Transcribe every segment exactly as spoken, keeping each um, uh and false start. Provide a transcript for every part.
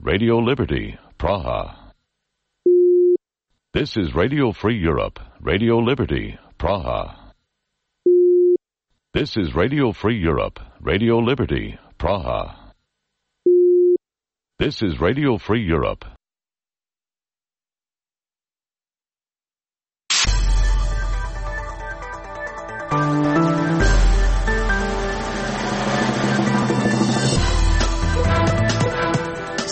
Radio Liberty, Praha. This is Radio Free Europe, Radio Liberty, Praha. This is Radio Free Europe, Radio Liberty, Praha. This is Radio Free Europe.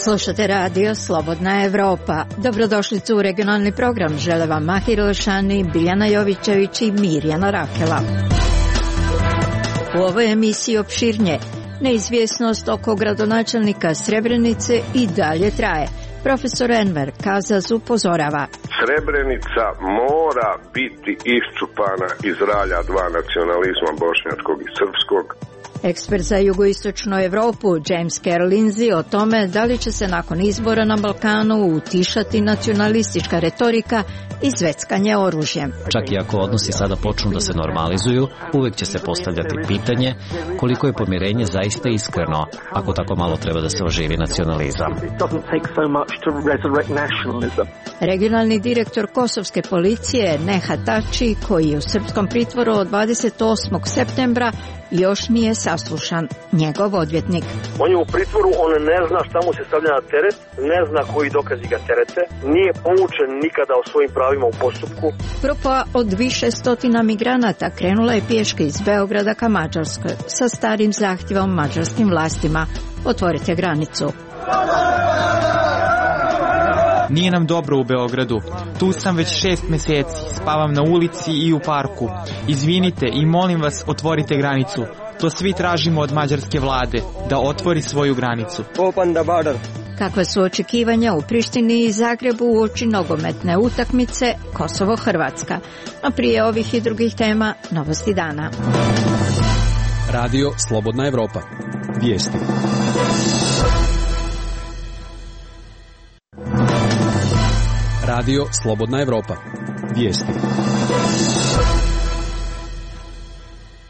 Slušate radio Slobodna Evropa. Dobrodošlicu u regionalni program. Žele vam Mahir Ilšani, Biljana Jovićević i Mirjana Rakela. U ovoj emisiji opširnje. Neizvjesnost oko gradonačelnika Srebrenice i dalje traje. Profesor Enver Kazaz upozorava. Srebrenica mora biti iščupana iz ralja dva nacionalizma, bošnjačkog i srpskog. Ekspert za jugoistočnu Evropu James Carroll Lindsay o tome da li će se nakon izbora na Balkanu utišati nacionalistička retorika i zveckanje oružjem. Čak i ako odnosi sada počnu da se normalizuju, uvek će se postavljati pitanje koliko je pomirenje zaista iskreno, ako tako malo treba da se oživi nacionalizam. Regionalni direktor kosovske policije Nehat Tači, koji je u srpskom pritvoru od dvadeset osmog septembra, još nije saslušan. Njegov odvjetnik. On je u pritvoru, on ne zna šta mu se stavlja na teret, ne zna koji dokazi ga terete, nije poučen nikada o svojim pravima u postupku. Grupa od više stotina migranata krenula je pješke iz Beograda ka Mađarskoj sa starim zahtjevom mađarskim vlastima. Otvorite granicu. Nije nam dobro u Beogradu. Tu sam već šest mjeseci. Spavam na ulici i u parku. Izvinite i molim vas, otvorite granicu. To svi tražimo od mađarske vlade, da otvori svoju granicu. Open the border. Kakve su očekivanja u Prištini i Zagrebu uoči nogometne utakmice Kosovo-Hrvatska? A prije ovih i drugih tema, novosti dana. Radio Slobodna Evropa. Vijesti. Radio Slobodna Evropa. Vijesti.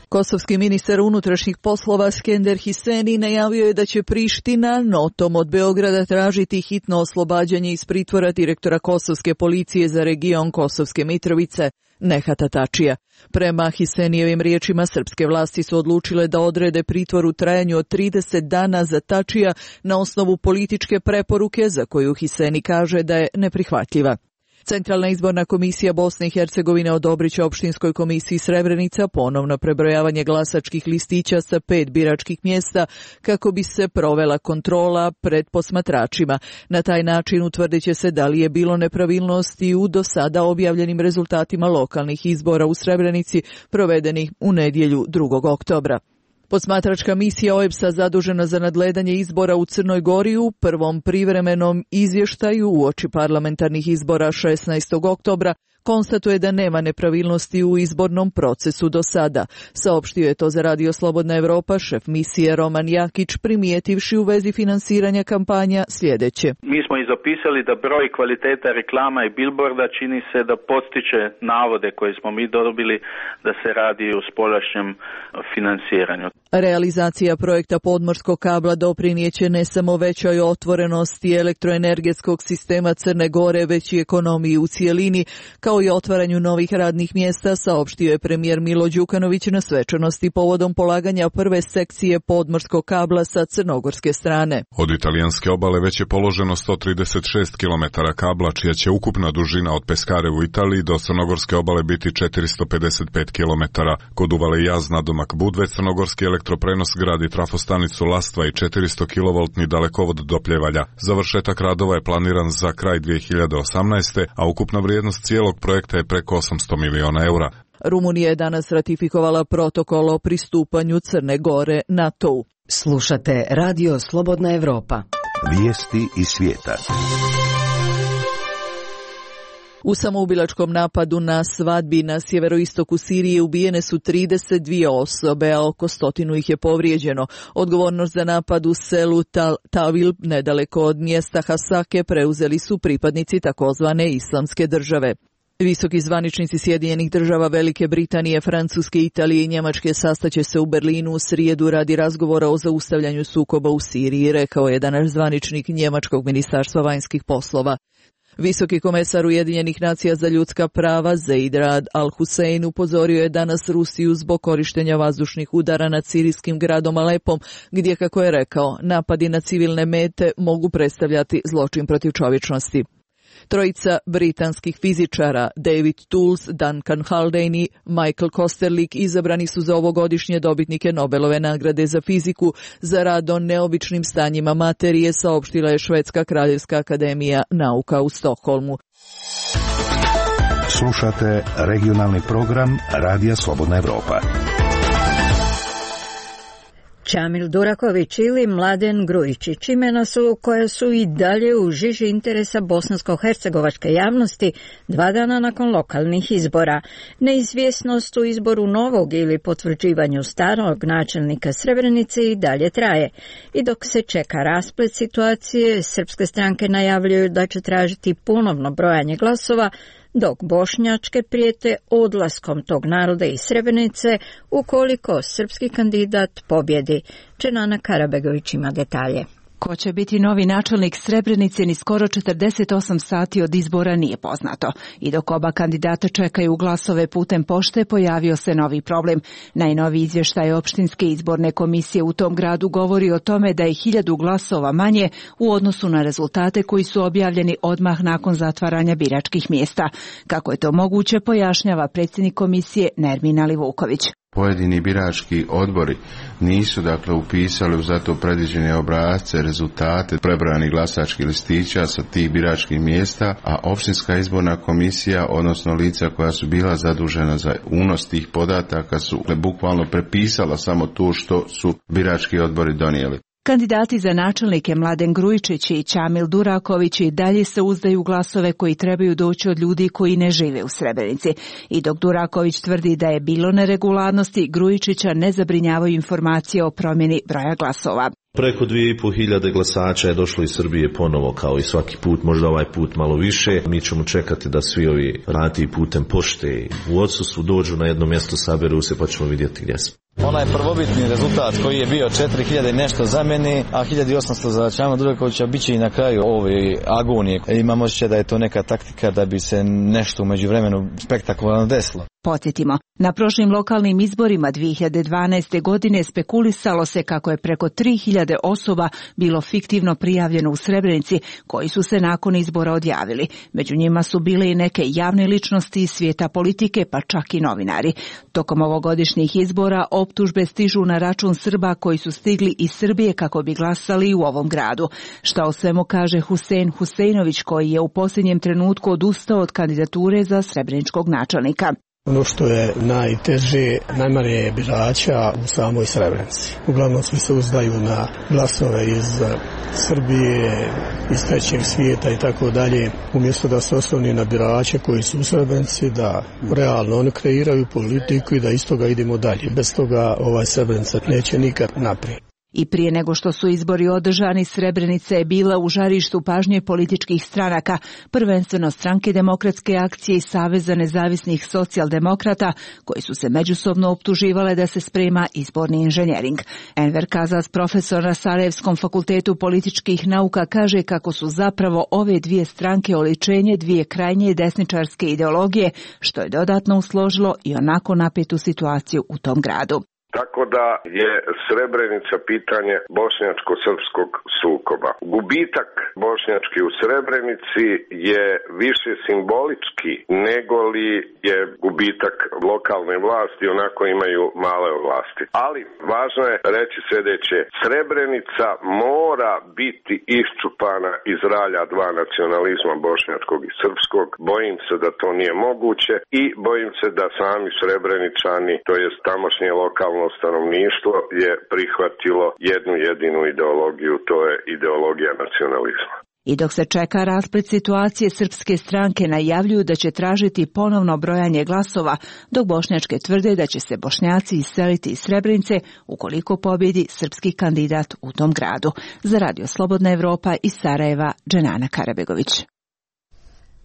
Kosovski ministar unutrašnjih poslova Skender Hiseni najavio je da će Priština notom od Beograda tražiti hitno oslobađanje iz pritvora direktora kosovske policije za region Kosovske Mitrovice, Nehata Tačija. Prema Hisenijevim riječima, srpske vlasti su odlučile da odrede pritvor u trajanju od trideset dana za Tačija na osnovu političke preporuke za koju Hiseni kaže da je neprihvatljiva. Centralna izborna komisija Bosne i Hercegovine odobrit će opštinskoj komisiji Srebrenica ponovno prebrojavanje glasačkih listića sa pet biračkih mjesta kako bi se provela kontrola pred posmatračima. Na taj način utvrdit će se da li je bilo nepravilnosti u do sada objavljenim rezultatima lokalnih izbora u Srebrenici provedenih u nedjelju drugog oktobra. Posmatračka misija O E B S-a zadužena za nadgledanje izbora u Crnoj Gori u prvom privremenom izvještaju uoči parlamentarnih izbora šesnaestog oktobra konstatuje da nema nepravilnosti u izbornom procesu do sada. Saopštio je to za Radio Slobodna Evropa šef misije Roman Jakić, primijetivši u vezi finansiranja kampanja sljedeće. Mi smo i zapisali da broj kvaliteta reklama i billboarda čini se da podstiče navode koje smo mi dobili da se radi o spoljašnjem finansiranju. Realizacija projekta podmorskog kabla doprinijeće ne samo većoj otvorenosti elektroenergetskog sistema Crne Gore, već i ekonomiji u cijelini, kao i otvaranju novih radnih mjesta, saopštio je premijer Milo Đukanović na svečanosti povodom polaganja prve sekcije podmorskog kabla sa crnogorske strane. Od italijanske obale već je položeno sto trideset šest kilometara kabla, čija će ukupna dužina od Peskare u Italiji do crnogorske obale biti četiristo pedeset pet kilometara. Kod uvale Jaz nadomak Budve, crnogorski elektroprenos gradi trafostanicu Lastva i četiristo kilovoltni dalekovod do Pljevalja. Završetak radova je planiran za kraj dvije hiljade osamnaeste. a ukupna vrijednost cijelog projekta je preko osamsto miliona eura. Rumunija je danas ratifikovala protokol o pristupanju Crne Gore NATO-u. Slušate Radio Slobodna Evropa. Vijesti iz svijeta. U samoubilačkom napadu na svadbi na sjeveroistoku Sirije ubijene su trideset dvije osobe, a oko stotinu ih je povrijeđeno. Odgovornost za napad u selu Tal Tavil, nedaleko od mjesta Hasake, preuzeli su pripadnici takozvane islamske države. Visoki zvaničnici Sjedinjenih država, Velike Britanije, Francuske, Italije i Njemačke sastaće se u Berlinu u srijedu radi razgovora o zaustavljanju sukoba u Siriji, rekao je danas zvaničnik Njemačkog ministarstva vanjskih poslova. Visoki komesar Ujedinjenih nacija za ljudska prava Zeid Rad al-Hussein upozorio je danas Rusiju zbog korištenja vazdušnih udara nad sirijskim gradom Alepom, gdje, kako je rekao, napadi na civilne mete mogu predstavljati zločin protiv čovječnosti. Trojica britanskih fizičara, David Tools, Duncan Haldane i Michael Kosterlik, izabrani su za ovogodišnje dobitnike Nobelove nagrade za fiziku za rad o neobičnim stanjima materije, saopštila je Švedska kraljevska akademija nauka u Stokholmu. Slušate regionalni program Radija Slobodna Evropa. Čamil Duraković ili Mladen Grujičić imena su koja su i dalje u žiži interesa bosansko-hercegovačke javnosti dva dana nakon lokalnih izbora. Neizvjesnost u izboru novog ili potvrđivanju starog načelnika Srebrenice i dalje traje. I dok se čeka rasplet situacije, srpske stranke najavljuju da će tražiti ponovno brojanje glasova, dok bošnjačke prijete odlaskom tog naroda iz Srebrenice ukoliko srpski kandidat pobjedi. Čenana Karabegović ima detalje. Ko će biti novi načelnik Srebrenice ni skoro četrdeset osam sati od izbora nije poznato. I dok oba kandidata čekaju glasove putem pošte, pojavio se novi problem. Najnoviji izvještaj opštinske izborne komisije u tom gradu govori o tome da je hiljadu glasova manje u odnosu na rezultate koji su objavljeni odmah nakon zatvaranja biračkih mjesta. Kako je to moguće, pojašnjava predsjednik komisije Nermin Alivuković. Pojedini birački odbori nisu dakle upisali u zato predviđene obrasce, rezultate prebrojanih glasačkih listića sa tih biračkih mjesta, a opštinska izborna komisija, odnosno lica koja su bila zadužena za unos tih podataka, su dakle, bukvalno prepisala samo to što su birački odbori donijeli. Kandidati za načelnike Mladen Grujičić i Čamil Duraković i dalje se uzdaju glasove koji trebaju doći od ljudi koji ne žive u Srebrenici. I dok Duraković tvrdi da je bilo neregularnosti, Grujičića ne zabrinjavaju informacije o promjeni broja glasova. Preko dvije i pol hiljade glasača je došlo iz Srbije ponovo kao i svaki put, možda ovaj put malo više. Mi ćemo čekati da svi ovi vrati putem pošte u odsustvu dođu na jedno mjesto, saberu se pa ćemo vidjeti gdje smo. Onaj prvobitni rezultat koji je bio četiri hiljade nešto za mene, a hiljadu osamsto za Čamila Durakovića bit će i na kraju ove agonije. Imam osjećaj da je to neka taktika da bi se nešto u međuvremenu spektakularno desilo. Podsjetimo, na prošlim lokalnim izborima dvije hiljade dvanaeste. godine spekulisalo se kako je preko tri hiljade osoba bilo fiktivno prijavljeno u Srebrenici, koji su se nakon izbora odjavili. Među njima su bile i neke javne ličnosti iz svijeta politike, pa čak i novinari. Tokom ovogodišnjih izbora optužbe stižu na račun Srba koji su stigli iz Srbije kako bi glasali u ovom gradu. Šta o svemu kaže Husein Huseinović, koji je u posljednjem trenutku odustao od kandidature za srebreničkog načelnika. Ono što je najteže, najmanje je birača u samoj Srebrenici. Uglavnom svi se uzdaju na glasove iz Srbije, iz trećeg svijeta i tako dalje. Umjesto da se osloni na birače koji su u Srebrenici, da realno oni kreiraju politiku i da iz toga idemo dalje. Bez toga ovaj Srebrenica neće nikad naprijed. I prije nego što su izbori održani, Srebrenica je bila u žarištu pažnje političkih stranaka, prvenstveno Stranke demokratske akcije i Saveza nezavisnih socijaldemokrata, koji su se međusobno optuživale da se sprema izborni inženjering. Enver Kazas, profesor na Sarajevskom fakultetu političkih nauka, kaže kako su zapravo ove dvije stranke oličenje dvije krajnje desničarske ideologije, što je dodatno usložilo i onako napetu situaciju u tom gradu. Tako da je Srebrenica pitanje bošnjačko-srpskog sukoba. Gubitak bošnjački u Srebrenici je više simbolički nego li je gubitak lokalne vlasti, onako imaju male vlasti. Ali važno je reći sljedeće, Srebrenica mora biti iščupana iz ralja dva nacionalizma bošnjačkog i srpskog. Bojim se da to nije moguće i bojim se da sami Srebreničani, to jest tamošnje lokalno stanovništvo, je prihvatilo jednu jedinu ideologiju, to je ideologija nacionalizma. I dok se čeka rasplet situacije, srpske stranke najavljuju da će tražiti ponovno brojanje glasova, dok bošnjačke tvrde da će se Bošnjaci iseliti iz Srebrenice ukoliko pobjedi srpski kandidat u tom gradu. Za Radio Slobodna Evropa iz Sarajeva, Dženana Karabegović.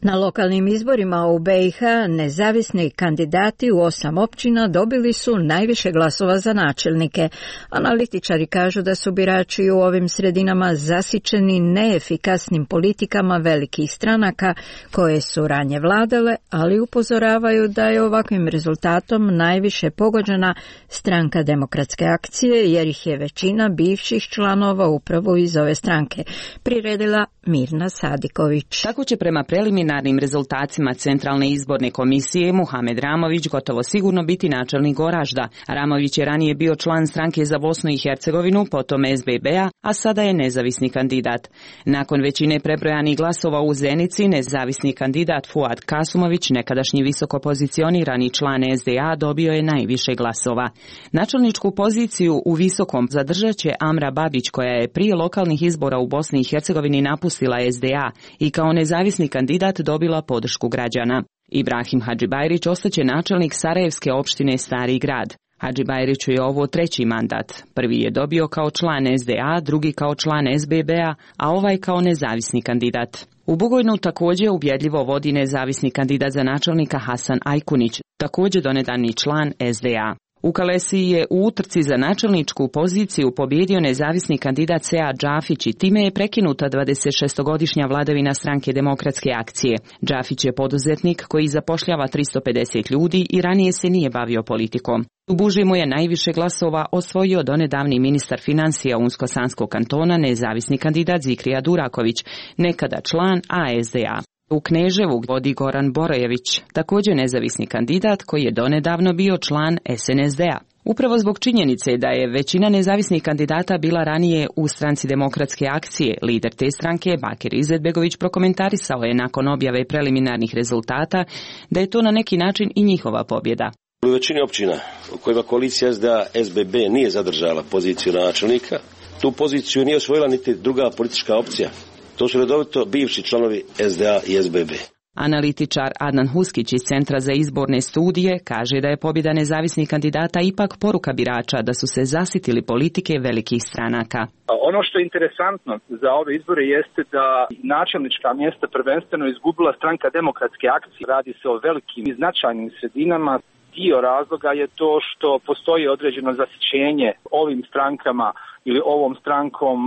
Na lokalnim izborima u B i H nezavisni kandidati u osam općina dobili su najviše glasova za načelnike. Analitičari kažu da su birači u ovim sredinama zasićeni neefikasnim politikama velikih stranaka koje su ranije vladale, ali upozoravaju da je ovakvim rezultatom najviše pogođena Stranka demokratske akcije, jer ih je većina bivših članova upravo iz ove stranke, priredila Mirna Sadiković. Tako će prema preliminarnim rezultatima Centralne izborne komisije Muhamed Ramović gotovo sigurno biti načelnik Goražda. Ramović je ranije bio član Stranke za Bosnu i Hercegovinu, potom S B B-a, a sada je nezavisni kandidat. Nakon većine prebrojanih glasova u Zenici, nezavisni kandidat Fuad Kasumović, nekadašnji visoko pozicionirani član S D A, dobio je najviše glasova. Načelničku poziciju u Visokom zadržat će Amra Babić, koja je prije lokalnih izbora u Bosni i Hercegovini napustila S D A i kao nezavisni kandidat dobila podršku građana. Ibrahim Hadžibajrić ostaće načelnik Sarajevske opštine Stari grad. Hadžibajriću je ovo treći mandat. Prvi je dobio kao član S D A, drugi kao član S B B-a, a ovaj kao nezavisni kandidat. U Bugojnu također ubjedljivo vodi nezavisni kandidat za načelnika Hasan Ajkunić, također donedavni član S D A. U Kalesiji je u utrci za načelničku poziciju pobjedio nezavisni kandidat Sead Džafić i time je prekinuta dvadesetšestogodišnja vladavina Stranke demokratske akcije. Džafić je poduzetnik koji zapošljava tristo pedeset ljudi i ranije se nije bavio politikom. U Buži mu je najviše glasova osvojio donedavni ministar financija Unsko-Sanskog kantona, nezavisni kandidat Zikrija Duraković, nekada član A S D A. U Kneževu vodi Goran Borojević, također nezavisni kandidat koji je donedavno bio član S N S D-a. Upravo zbog činjenice da je većina nezavisnih kandidata bila ranije u Stranci demokratske akcije, lider te stranke Bakir Izetbegović prokomentarisao je nakon objave preliminarnih rezultata da je to na neki način i njihova pobjeda. U većini općina u kojima koalicija S D A S B B nije zadržala poziciju načelnika, tu poziciju nije osvojila niti druga politička opcija. To su redovito bivši članovi S D A i S B B. Analitičar Adnan Huskić iz Centra za izborne studije kaže da je pobjeda nezavisnih kandidata ipak poruka birača da su se zasitili politike velikih stranaka. Ono što je interesantno za ove izbore jeste da načelnička mjesta prvenstveno izgubila Stranka demokratske akcije. Radi se o velikim i značajnim sredinama. Dio razloga je to što postoji određeno zasićenje ovim strankama ili ovom strankom,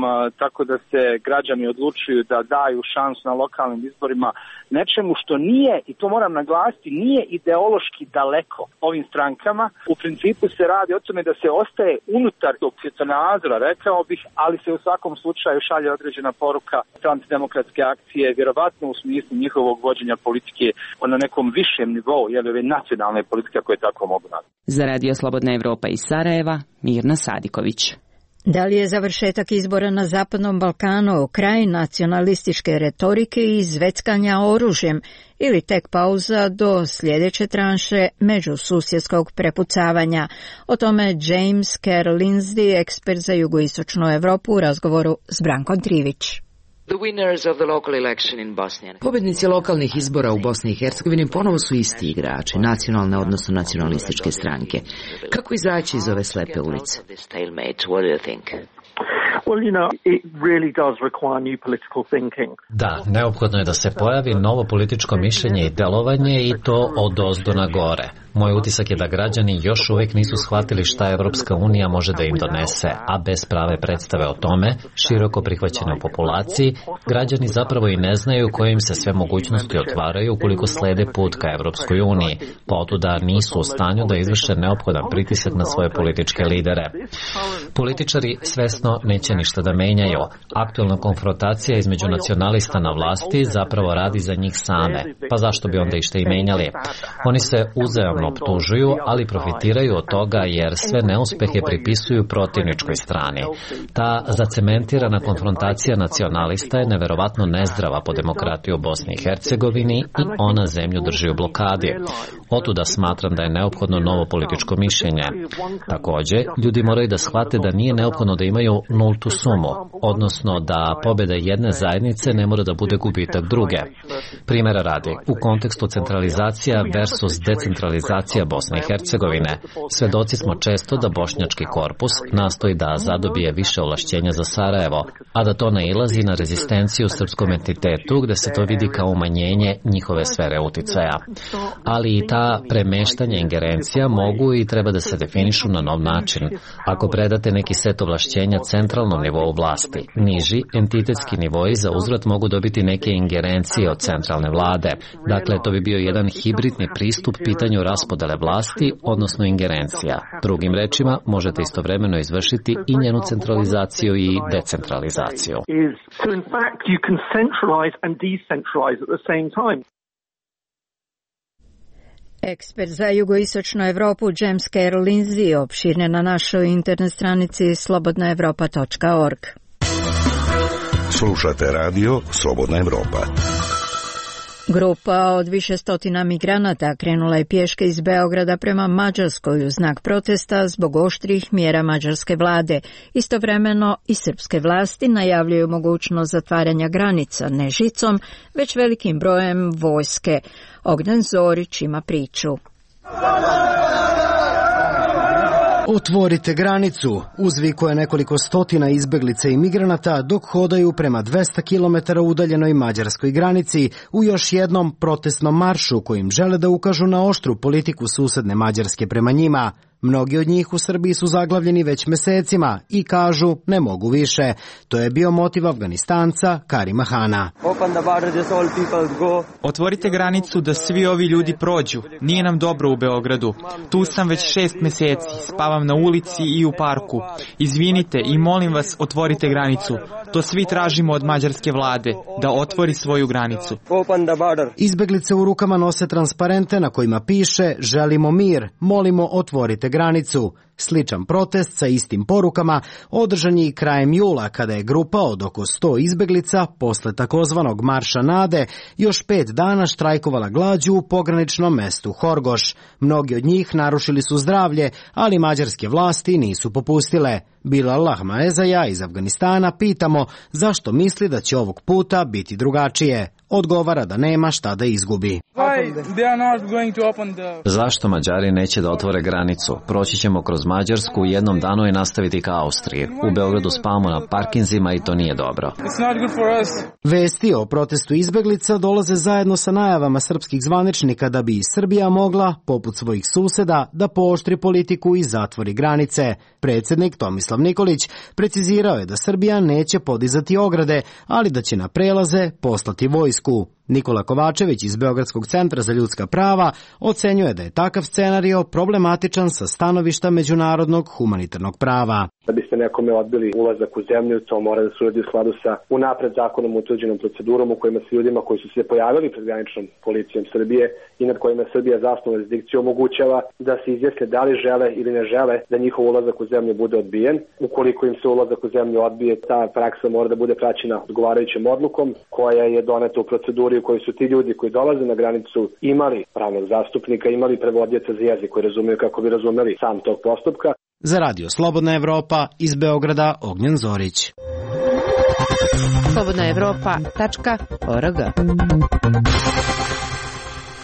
tako da se građani odlučuju da daju šansu na lokalnim izborima nečemu što nije, i to moram naglasiti, nije ideološki daleko ovim strankama. U principu se radi o tome da se ostaje unutar tog svjetonazora, rekao bih, ali se u svakom slučaju šalje određena poruka Stranci demokratske akcije, vjerovatno u smislu njihovog vođenja politike na nekom višem nivou, jer ove nacionalne politike koje tako mogu raditi. Za Radio Slobodna Evropa iz Sarajeva, Mirna Sadiković. Da li je završetak izbora na Zapadnom Balkanu kraj nacionalističke retorike i zveckanja oružjem ili tek pauza do sljedeće tranše međususjedskog prepucavanja? O tome James Kerr Lindsay, ekspert za jugoistočnu Europu, u razgovoru s Brankom Trivić. Pobjednici lokalnih izbora u Bosni i Hercegovini ponovo su isti igrači, nacionalne odnosno nacionalističke stranke. Kako izaći iz ove slepe ulice? Da, neophodno je da se pojavi novo političko mišljenje i delovanje i to od ozdo na gore. Moj utisak je da građani još uvijek nisu shvatili šta Evropska unija može da im donese, a bez prave predstave o tome, široko prihvaćene u populaciji, građani zapravo i ne znaju koje im se sve mogućnosti otvaraju ukoliko slede put ka Evropskoj uniji, pa otuda nisu u stanju da izvrše neophodan pritisak na svoje političke lidere. Političari svesno neće ništa da menjaju. Aktualna konfrontacija između nacionalista na vlasti zapravo radi za njih same, pa zašto bi onda išta i menjali? Oni se uzajamno optužuju, ali profitiraju od toga jer sve neuspehe pripisuju protivničkoj strani. Ta zacementirana konfrontacija nacionalista je neverovatno nezdrava po demokratiju u Bosni i Hercegovini i ona zemlju drži u blokadi. Otuda smatram da je neophodno novo političko mišljenje. Također, ljudi moraju da shvate da nije neophodno da imaju nultu sumu, odnosno da pobjeda jedne zajednice ne mora da bude gubitak druge. Primjera radi, u kontekstu centralizacija versus decentralizacija Bosne i Hercegovine, svedoci smo često da bošnjački korpus nastoji da zadobije više ovlašćenja za Sarajevo, a da to nailazi na rezistenciju srpskom entitetu gde se to vidi kao umanjenje njihove sfere uticaja. Ali i ta premeštanja ingerencija mogu i treba da se definišu na nov način. Ako predate neki set ovlašćenja centralnom nivou vlasti, niži entitetski nivoi za uzvrat mogu dobiti neke ingerencije od centralne vlade. Dakle, to bi bio jedan hibridni pristup pitanju raspodele vlasti, odnosno ingerencija. Drugim rečima, možete istovremeno izvršiti i njenu centralizaciju i decentralizaciju. Ekspert za jugoistočnu Evropu James Carroll Lindsay opširne na našoj internet stranici slobodna evropa tačka org. Slušate radio Slobodna Evropa. Grupa od više stotina migranata krenula je pješke iz Beograda prema Mađarskoj u znak protesta zbog oštrih mjera mađarske vlade. Istovremeno i srpske vlasti najavljuju mogućnost zatvaranja granica ne žicom, već velikim brojem vojske. Ognjen Zorić ima priču. Otvorite granicu, uzvikuje nekoliko stotina izbeglica i migranata dok hodaju prema dvesta kilometara udaljenoj mađarskoj granici u još jednom protestnom maršu kojim žele da ukažu na oštru politiku susedne Mađarske prema njima. Mnogi od njih u Srbiji su zaglavljeni već mesecima i kažu ne mogu više. To je bio motiv Afganistanca Karima Hana. Otvorite granicu da svi ovi ljudi prođu. Nije nam dobro u Beogradu. Tu sam već šest meseci, spavam na ulici i u parku. Izvinite i molim vas, otvorite granicu. To svi tražimo od mađarske vlade, da otvori svoju granicu. Izbeglice u rukama nose transparente na kojima piše želimo mir, molimo otvorite granicu. Sličan protest sa istim porukama održan je i krajem jula kada je grupa od oko sto izbeglica posle takozvanog Marša nade još pet dana štrajkovala glađu u pograničnom mestu Horgoš. Mnogi od njih narušili su zdravlje, ali mađarske vlasti nisu popustile. Bilal Lahmaezaja iz Afganistana pitamo zašto misli da će ovog puta biti drugačije. Odgovara da nema šta da izgubi. Zašto Mađari neće da otvore granicu? Proći ćemo kroz Mađarsku u jednom danu i nastaviti ka Austriji. U Beogradu spavamo na parkinzima i to nije dobro. Vesti o protestu izbeglica dolaze zajedno sa najavama srpskih zvaničnika da bi Srbija mogla, poput svojih suseda, da pooštri politiku i zatvori granice. Predsjednik Tomislav Nikolić precizirao je da Srbija neće podizati ograde, ali da će na prelaze poslati vojsku. Nikola Kovačević iz Beogradskog centra za ljudska prava ocenjuje da je takav scenario problematičan sa stanovišta međunarodnog humanitarnog prava. Da biste nekome odbili ulazak u zemlju, to mora da se uradi u skladu sa unapred zakonom utvrđenom procedurom u kojima se ljudima koji su se pojavili pred graničnom policijom Srbije i nad kojima Srbija zasnovnu jurisdikciju omogućava da se izjasne da li žele ili ne žele da njihov ulazak u zemlju bude odbijen. Ukoliko im se ulazak u zemlju odbije, ta praksa mora da bude praćena odgovarajućom odlukom koja je doneta u proceduri u kojoj su ti ljudi koji dolaze na granicu imali pravnog zastupnika, imali prevodioca za jezik koji razumiju kako bi razumeli sam tog postupka. Za radio Slobodna Evropa iz Beograda Ognjen Zorić. slobodna evropa tačka org.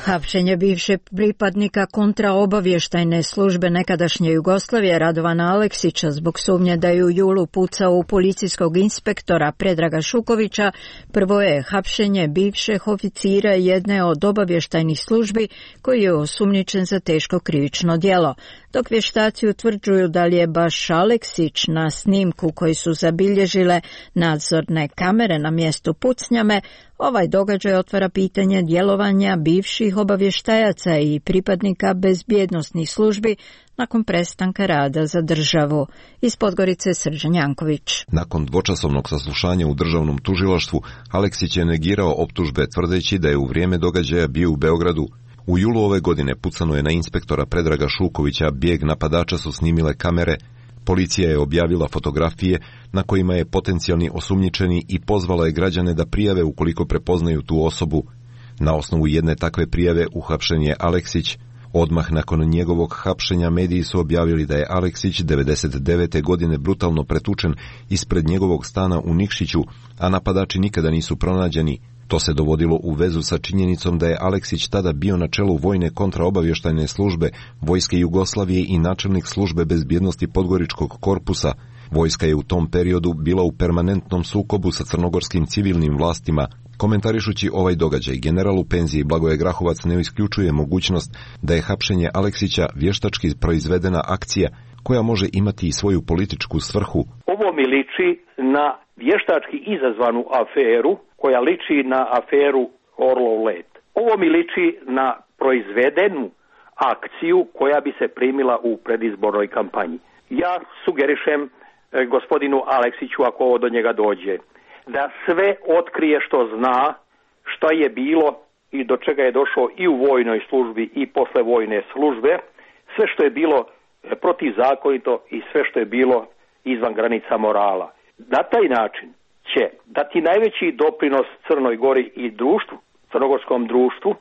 Hapšenje bivšeg pripadnika kontraobavještajne službe nekadašnje Jugoslavije Radovana Aleksića zbog sumnje da je u julu pucao u policijskog inspektora Predraga Šukovića prvo je hapšenje bivšeg oficira jedne od obavještajnih službi koji je osumnjičen za teško krivično djelo. Dok vještaci utvrđuju da li je baš Aleksić na snimku koji su zabilježile nadzorne kamere na mjestu pucnjame, ovaj događaj otvara pitanje djelovanja bivših obavještajaca i pripadnika bezbjednosnih službi nakon prestanka rada za državu. Iz Podgorice Srđan Janković. Nakon dvočasovnog saslušanja u državnom tužilaštvu, Aleksić je negirao optužbe tvrdeći da je u vrijeme događaja bio u Beogradu. U julu ove godine pucano je na inspektora Predraga Šukovića, bijeg napadača su snimile kamere. Policija je objavila fotografije na kojima je potencijalni osumnjičeni i pozvala je građane da prijave ukoliko prepoznaju tu osobu. Na osnovu jedne takve prijave uhapšen je Aleksić. Odmah nakon njegovog hapšenja mediji su objavili da je Aleksić devedeset devete godine brutalno pretučen ispred njegovog stana u Nikšiću, a napadači nikada nisu pronađeni. To se dovodilo u vezu sa činjenicom da je Aleksić tada bio na čelu vojne kontraobavještajne službe Vojske Jugoslavije i načelnik službe bezbjednosti Podgoričkog korpusa. Vojska je u tom periodu bila u permanentnom sukobu sa crnogorskim civilnim vlastima. Komentarišući ovaj događaj, general u penziji Blagoje Grahovac ne isključuje mogućnost da je hapšenje Aleksića vještački proizvedena akcija koja može imati i svoju političku svrhu. Ovo mi liči na vještački izazvanu aferu koja liči na aferu Orlov let. Ovo mi liči na proizvedenu akciju koja bi se primila u predizbornoj kampanji. Ja sugerišem e, gospodinu Aleksiću, ako ovo do njega dođe, da sve otkrije što zna, šta je bilo i do čega je došao i u vojnoj službi i posle vojne službe, sve što je bilo protivzakonito i sve što je bilo izvan granica morala. Na taj način će dati najveći doprinos Crnoj Gori i društvu, crnogorskom društvu,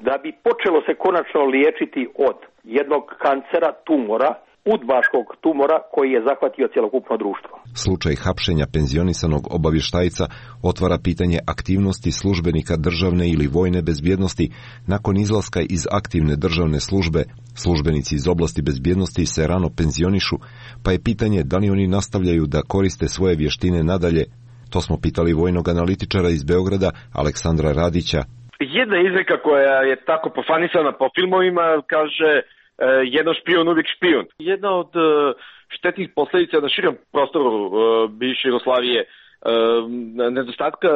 da bi počelo se konačno liječiti od jednog kancera, tumora, udbaškog tumora koji je zahvatio cjelokupno društvo. Slučaj hapšenja penzionisanog obavještajca otvara pitanje aktivnosti službenika državne ili vojne bezbjednosti nakon izlaska iz aktivne državne službe. Službenici iz oblasti bezbjednosti se rano penzionišu, pa je pitanje da li oni nastavljaju da koriste svoje vještine nadalje. To smo pitali vojnog analitičara iz Beograda, Aleksandra Radića. Jedna izreka koja je tako pofanisana po filmovima kaže jedan špijun, uvijek špijun. Jedna od štetnih posljedica na širom prostoru bivše Jugoslavije, nedostatka,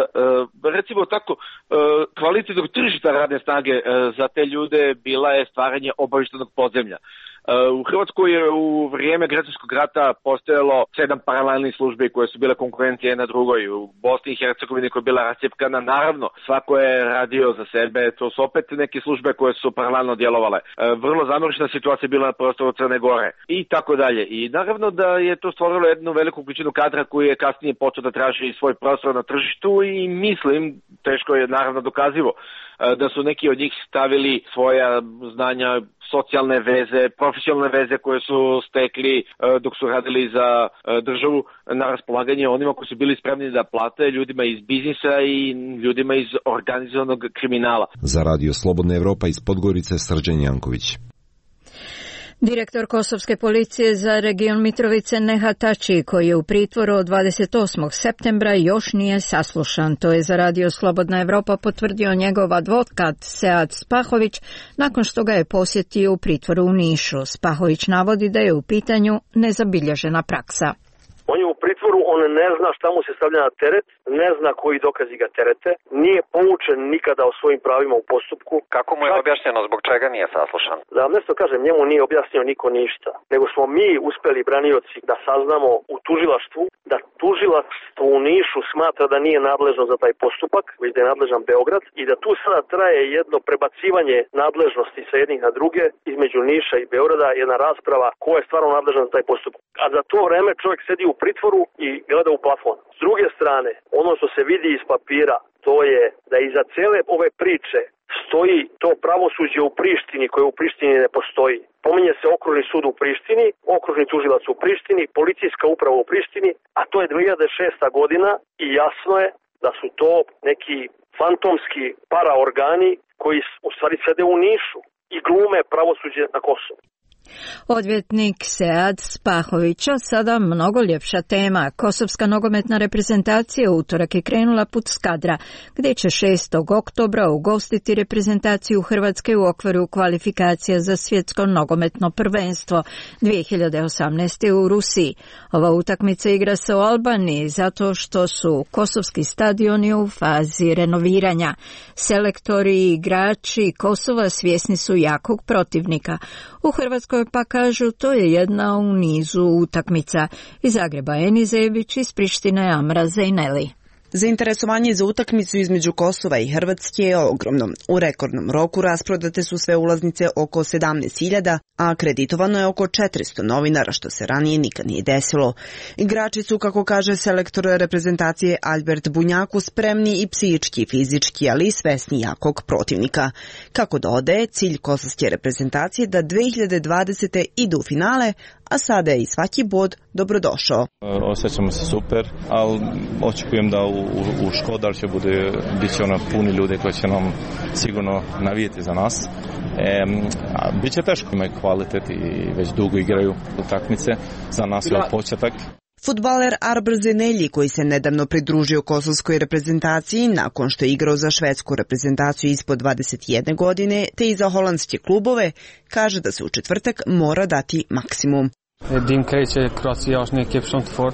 recimo tako, kvalitetnog tržišta radne snage za te ljude bila je stvaranje obavještajnog podzemlja. U Hrvatskoj je u vrijeme građanskog rata postojalo sedam paralelnih službi koje su bile konkurencije jedna drugoj. U Bosni i Hercegovini koja je bila rascjepkana, naravno, svako je radio za sebe, to su opet neke službe koje su paralelno djelovale. Vrlo zamršena situacija bila na prostoru Crne Gore i tako dalje. I naravno da je to stvorilo jednu veliku količinu kadra koji je kasnije počeo da traži svoj prostor na tržištu i mislim, teško je naravno dokazivo, da su neki od njih stavili svoja znanja, socijalne veze, profesionalne veze koje su stekli dok su radili za državu na raspolaganje onima koji su bili spremni da plate, ljudima iz biznisa i ljudima iz organizovanog kriminala. Za Radio Slobodna Evropa iz Podgorice, Srđan Janković. Direktor Kosovske policije za region Mitrovice Nehat Tači, koji je u pritvoru od dvadeset osmog septembra, još nije saslušan. To je za Radio Slobodna Evropa potvrdio njegov advokat Sead Spahović nakon što ga je posjetio u pritvoru u Nišu. Spahović navodi da je u pitanju nezabilježena praksa. On je u pritvoru, on ne zna šta mu se stavlja na teret, ne zna koji dokazi ga terete, nije poučen nikada o svojim pravima u postupku. Kako mu je objašnjeno zbog čega nije saslušan? Da vam nešto kažem, njemu nije objasnio niko ništa, nego smo mi uspeli branioci da saznamo u tužilaštvu da tužilaštvo u Nišu smatra da nije nadležno za taj postupak, već da je nadležan Beograd i da tu sada traje jedno prebacivanje nadležnosti sa jednih na druge između Niša i Beograda, jedna rasprava ko je stvarno nadležan za taj postupak. A za to vreme čovjek sedi u pritvoru i gleda u plafon. S druge strane, ono što se vidi iz papira, to je da iza cele ove priče stoji to pravosuđe u Prištini koje u Prištini ne postoji. Pominje se okružni sud u Prištini, okružni tužilac u Prištini, policijska uprava u Prištini, a to je dve hiljade šesta godina i jasno je da su to neki fantomski paraorgani koji u stvari sede u Nišu i glume pravosuđe na Kosovu. Odvjetnik Sead Spahovića, sada mnogo ljepša tema. Kosovska nogometna reprezentacija u utorak je krenula put Skadra, gdje će šestog oktobra ugostiti reprezentaciju Hrvatske u okviru kvalifikacija za svjetsko nogometno prvenstvo dvije hiljade osamnaeste. u Rusiji. Ova utakmica igra se u Albaniji zato što su kosovski stadioni u fazi renoviranja. Selektori i igrači Kosova svjesni su jakog protivnika. U Hrvatskoj pa kažu to je jedna u nizu utakmica. Iz Zagreba Eni Zebić, iz Prištine Amra Zejneli. Zainteresovanje za utakmicu između Kosova i Hrvatske je ogromno. U rekordnom roku rasprodate su sve ulaznice oko sedamnaest hiljada, a akreditovano je oko četiristo novinara, što se ranije nikad nije desilo. Igrači su, kako kaže selektor reprezentacije Albert Bunjaku, spremni i psihički i fizički, ali i svesni jakog protivnika. Kako dodaje, cilj kosovske reprezentacije da dve hiljade dvadesete idu u finale, a sada je i svaki bod dobrodošao. Osjećamo se super, ali očekujem da u, u, u Škodar će bude, bit će ono puni ljude koji će nam sigurno navijeti za nas. E, a bit će teško, imaju kvalitet i već dugo igraju utakmice, za nas je početak. Fudbaler Arber Zenelji, koji se nedavno pridružio kosovskoj reprezentaciji nakon što je igrao za švedsku reprezentaciju ispod dvadeset jedne godine, te i za holandske klubove, kaže da se u četvrtak mora dati maksimum.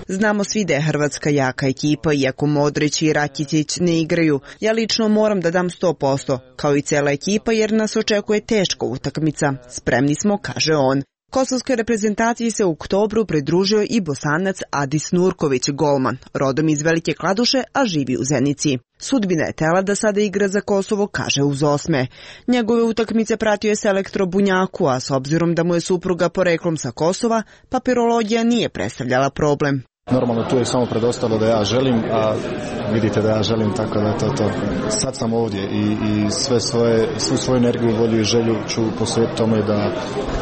Znamo svi da je Hrvatska jaka ekipa, iako Modrić i Rakitic ne igraju. Ja lično moram da dam sto posto, kao i cela ekipa, jer nas očekuje teška utakmica. Spremni smo, kaže on. Kosovskoj reprezentaciji se u oktobru pridružio i Bosanac Adis Nurković, golman, rodom iz Velike Kladuše, a živi u Zenici. Sudbina je tela da sada igra za Kosovo, kaže uz osme. Njegove utakmice pratio je selektor Bunjaku, a s obzirom da mu je supruga poreklom sa Kosova, papirologija nije predstavljala problem. Normalno tu je samo predostalo da ja želim, a vidite da ja želim, tako da to to. Sad sam ovdje i, i sve svoje, svu svoju energiju, volju i želju ću posvetiti tome da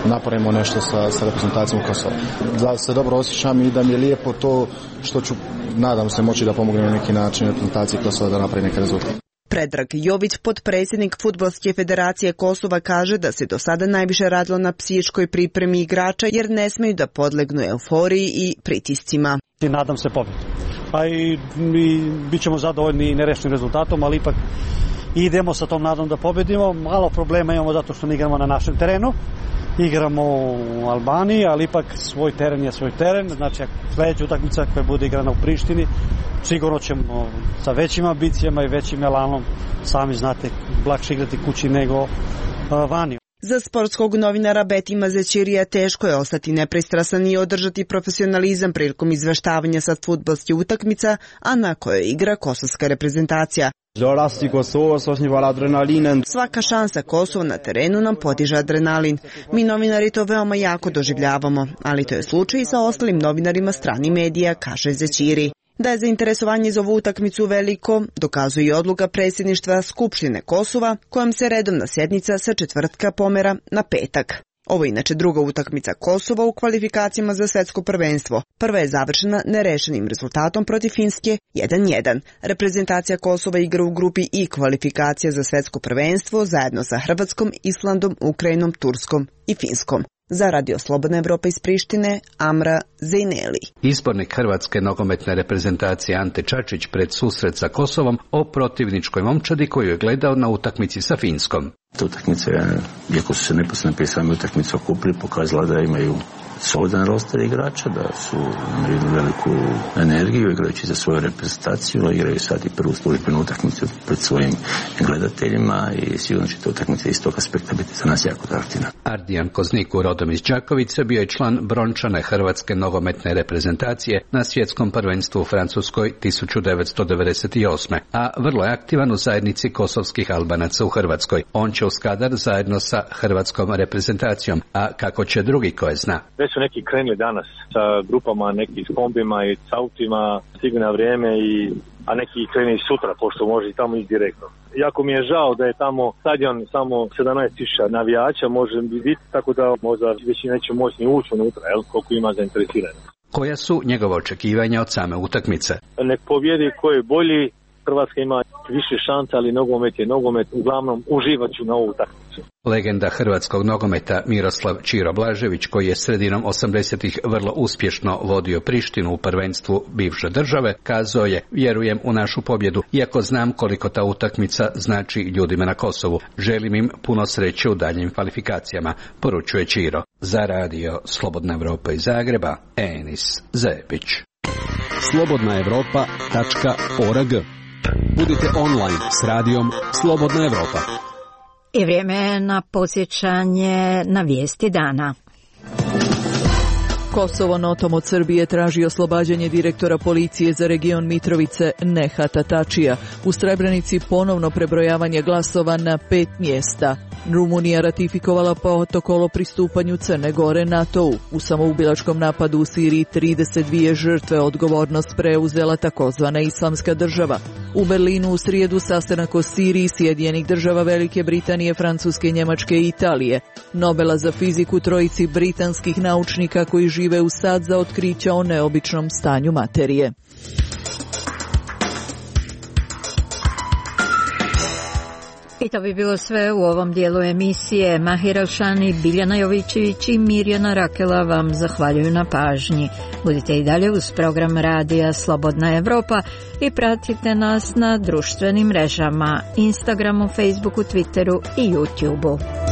napravimo nešto sa, sa reprezentacijom Kosova. Da se dobro osjećam i da mi je lijepo to što ću, nadam se, moći da pomognem na neki način reprezentaciji Kosova da napravi neke rezultate. Predrag Jović, potpredsjednik Fudbalske federacije Kosova, kaže da se do sada najviše radilo na psihičkoj pripremi igrača jer ne smeju da podlegnu euforiji i pritiscima. Nadam se pobjedu. Pa i, i bit ćemo zadovoljni nerešenim rezultatom, ali ipak idemo sa tom nadom da pobjedimo. Malo problema imamo zato što ne igramo na našem terenu. Igramo u Albaniji, ali ipak svoj teren je svoj teren. Znači, sljedeća utakmica koja bude igrana u Prištini, sigurno ćemo sa većim ambicijama i većim elanom, sami znate, lakše igrati kući nego uh, vani. Za sportskog novinara Betima Zećirija teško je ostati nepristrasan i održati profesionalizam prilikom izveštavanja sa fudbalske utakmica, a na kojoj igra kosovska reprezentacija. Svaka šansa Kosova na terenu nam podiže adrenalin. Mi novinari to veoma jako doživljavamo, ali to je slučaj i sa ostalim novinarima stranih medija, kaže Zećiri. Da je zainteresovanje za ovu utakmicu veliko, dokazuje i odluka predsjedništva Skupštine Kosova, kojom se redovna sjednica sa četvrtka pomera na petak. Ovo je inače druga utakmica Kosova u kvalifikacijama za svetsko prvenstvo. Prva je završena nerešenim rezultatom protiv Finske jedan jedan. Reprezentacija Kosova igra u grupi I kvalifikacija za svetsko prvenstvo zajedno sa Hrvatskom, Islandom, Ukrajinom, Turskom i Finskom. Za Radio Slobodna Evropa iz Prištine, Amra Zejneli. Izbornik hrvatske nogometne reprezentacije Ante Čačić pred susret sa Kosovom o protivničkoj momčadi koju je gledao na utakmici sa Finskom. Ta utakmica, iako su se neposredno prije same utakmice okupili, pokazala da imaju solidan roster igrača, da su imaju veliku energiju igrajući za svoju reprezentaciju, igraju sad i prvu službenu utakmicu pred svojim gledateljima i sigurno će ta utakmica iz tog aspekta biti za nas jako atraktivna. Ardijan Kozniku, rodom iz Đakovice, bio je član brončane hrvatske nogometne reprezentacije na svjetskom prvenstvu u Francuskoj tisuću devetsto devedeset osme. a vrlo je aktivan u zajednici kosovskih Albanaca u Hrvatskoj. On će u Skadar zajedno sa hrvatskom reprezentacijom, a kako će drugi koje zna. Već su neki krenuli danas sa grupama, neki s kombima i s autima, stigli na vrijeme, i, a neki kreni sutra, pošto može i tamo ići direktno. Jako mi je žao da je tamo stadion samo sedamnaest tisuća navijača, može biti, tako da možda već neće moći ni ući unutra, jel, koliko ima zainteresirano. Koja su njegova očekivanja od same utakmice? Nek pobjedi ko je bolji, Hrvatska ima više šansa, ali nogomet je nogomet, uglavnom uživat ću na ovu utakmicu. Legenda hrvatskog nogometa Miroslav Čiro Blažević, koji je sredinom osamdesetih vrlo uspješno vodio Prištinu u prvenstvu bivše države, kazao je: vjerujem u našu pobjedu, iako znam koliko ta utakmica znači ljudima na Kosovu. Želim im puno sreće u daljnjim kvalifikacijama, poručuje Čiro. Za Radio Slobodna Evropa iz Zagreba, Enis Zepić. slobodna evropa tačka org. Budite online s radijom Slobodna Evropa. I vrijeme je na podsjećanje na vijesti dana. Kosovo notom od Srbije traži oslobađanje direktora policije za region Mitrovice Nehata Tačija. U Srebrenici ponovno prebrojavanje glasova na pet mjesta. Rumunija ratifikovala protokol o pristupanju Crne Gore NATO-u. U samoubilačkom napadu u Siriji trideset dvije žrtve, odgovornost preuzela takozvana Islamska država. U Berlinu u srijedu sastanak o Siriji Sjedinjenih država Velike Britanije, Francuske, Njemačke i Italije. Nobela za fiziku trojici britanskih naučnika koji žive u sad za otkrića o neobičnom stanju materije. I to bi bilo sve u ovom dijelu emisije. Mahir Elšani, Biljana Jovićević i Mirjana Rakela vam zahvaljuju na pažnji. Budite i dalje uz program radija Slobodna Evropa i pratite nas na društvenim mrežama, Instagramu, Facebooku, Twitteru i YouTubeu.